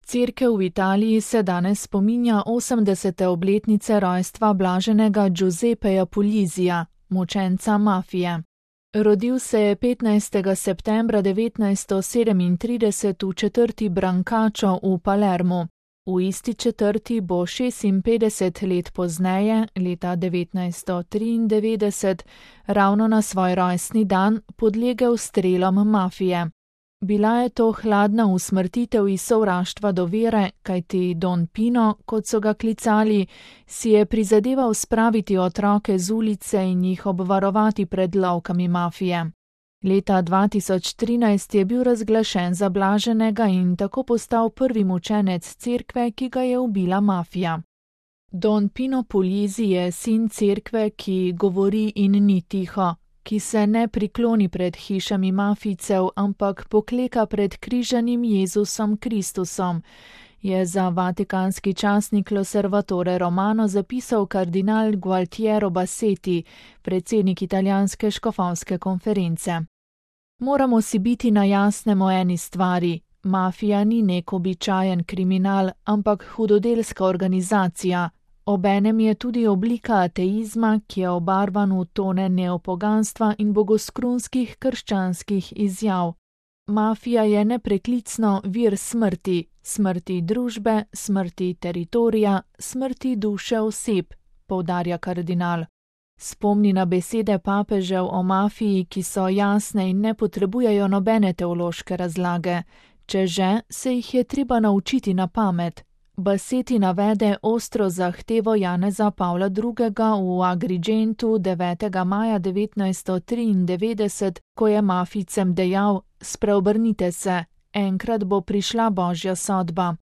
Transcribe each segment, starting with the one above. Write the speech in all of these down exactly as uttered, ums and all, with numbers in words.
Cerkev v Italiji se danes spominja osemdesete obletnice rojstva blaženega Giuseppeja Pulizija, mučenca mafije. Rodil se je petnajstega septembra devetnajststo sedemintrideset v četrti Brancaccio v Palermu. V isti četrti bo šestinpetdeset let pozneje, leta devetnajststo triindevetdeset, ravno na svoj rojstni dan podlegel strelom mafije. Bila je to hladna usmrtitev iz sovraštva do vere, kajti Don Pino, kot so ga klicali, si je prizadeval spraviti otroke z ulice in jih obvarovati pred lovkami mafije. Leta dva tisoč trinajst je bil razglašen za blaženega in tako postal prvi mučenec cerkve, ki ga je ubila mafija. Don Pino Pulizi je sin cerkve, ki govori in ni tiho, ki se ne prikloni pred hišami mafijcev, ampak pokleka pred križanim Jezusom Kristusom, je za vatikanski časnik L'Osservatore Romano zapisal kardinal Gualtiero Bassetti, predsednik italijanske škofovske konference. Moramo si biti na jasnem o eni stvari. Mafija ni nek običajen kriminal, ampak hudodelska organizacija. Obenem je tudi oblika ateizma, ki je obarvan v tone neopoganstva in bogoskrunskih krščanskih izjav. Mafija je nepreklicno vir smrti, smrti družbe, smrti teritorija, smrti duše oseb, poudarja kardinal. Spomni na besede papežev o mafiji, ki so jasne in ne potrebujejo nobene teološke razlage. Če že, se jih je treba naučiti na pamet. Bassetti navede ostro zahtevo Janeza Pavla drugega v Agrigentu devetega maja devetnajststo triindevetdeset, ko je mafijcem dejal: spreobrnite se, enkrat bo prišla božja sodba.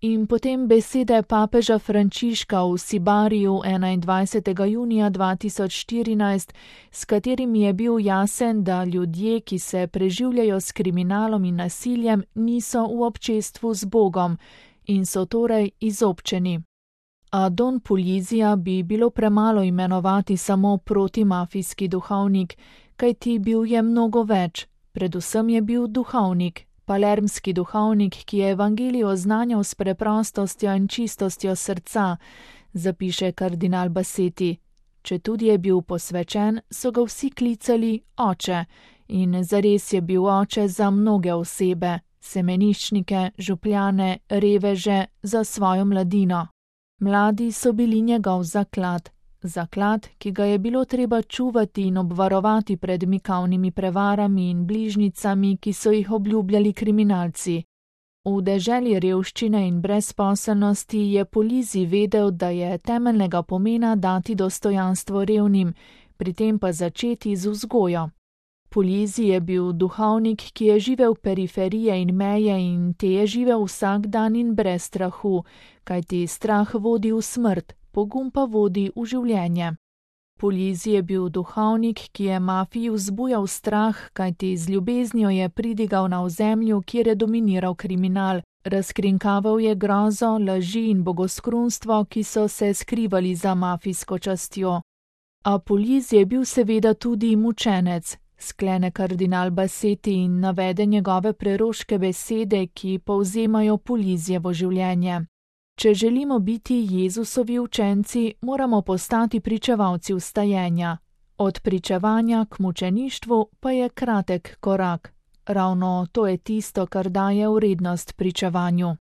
In potem besede papeža Frančiška v Sibariju enaindvajsetega junija dva tisoč štirinajst, s katerimi je bil jasen, da ljudje, ki se preživljajo s kriminalom in nasiljem, niso v občestvu z Bogom in so torej izobčeni. A Don Pulizija bi bilo premalo imenovati samo protimafijski duhovnik, kajti bil je mnogo več, predvsem je bil duhovnik. Palermski duhovnik, ki je evangelij oznanjal s preprostostjo in čistostjo srca, zapiše kardinal Bassetti. Četudi je bil posvečen, so ga vsi klicali oče in zares je bil oče za mnoge osebe, semeniščnike, župljane, reveže, za svojo mladino. Mladi so bili njegov zaklad. Zaklad, ki ga je bilo treba čuvati in obvarovati pred mikavnimi prevarami in bližnicami, ki so jih obljubljali kriminalci. V deželi revščine in brezposelnosti je Pulizi vedel, da je temeljnega pomena dati dostojanstvo revnim, pri tem pa začeti z vzgojo. Pulizi je bil duhovnik, ki je živel periferije in meje in te je živel vsak dan in brez strahu, kajti strah vodi v smrt, pogum pa vodi v življenje. Pulizi je bil duhovnik, ki je mafiji vzbujal strah, kajti z ljubeznijo je pridigal na ozemlju, kjer je dominiral kriminal, razkrinkaval je grozo, laži in bogoskrunstvo, ki so se skrivali za mafijsko častjo. A Pulizi je bil seveda tudi mučenec, sklene kardinal Bassetti in navede njegove preroške besede, ki povzemajo Pulizijevo življenje. Če želimo biti Jezusovi učenci, moramo postati pričevalci vstajenja. Od pričevanja k mučeništvu pa je kratek korak. Ravno to je tisto, kar daje vrednost pričevanju.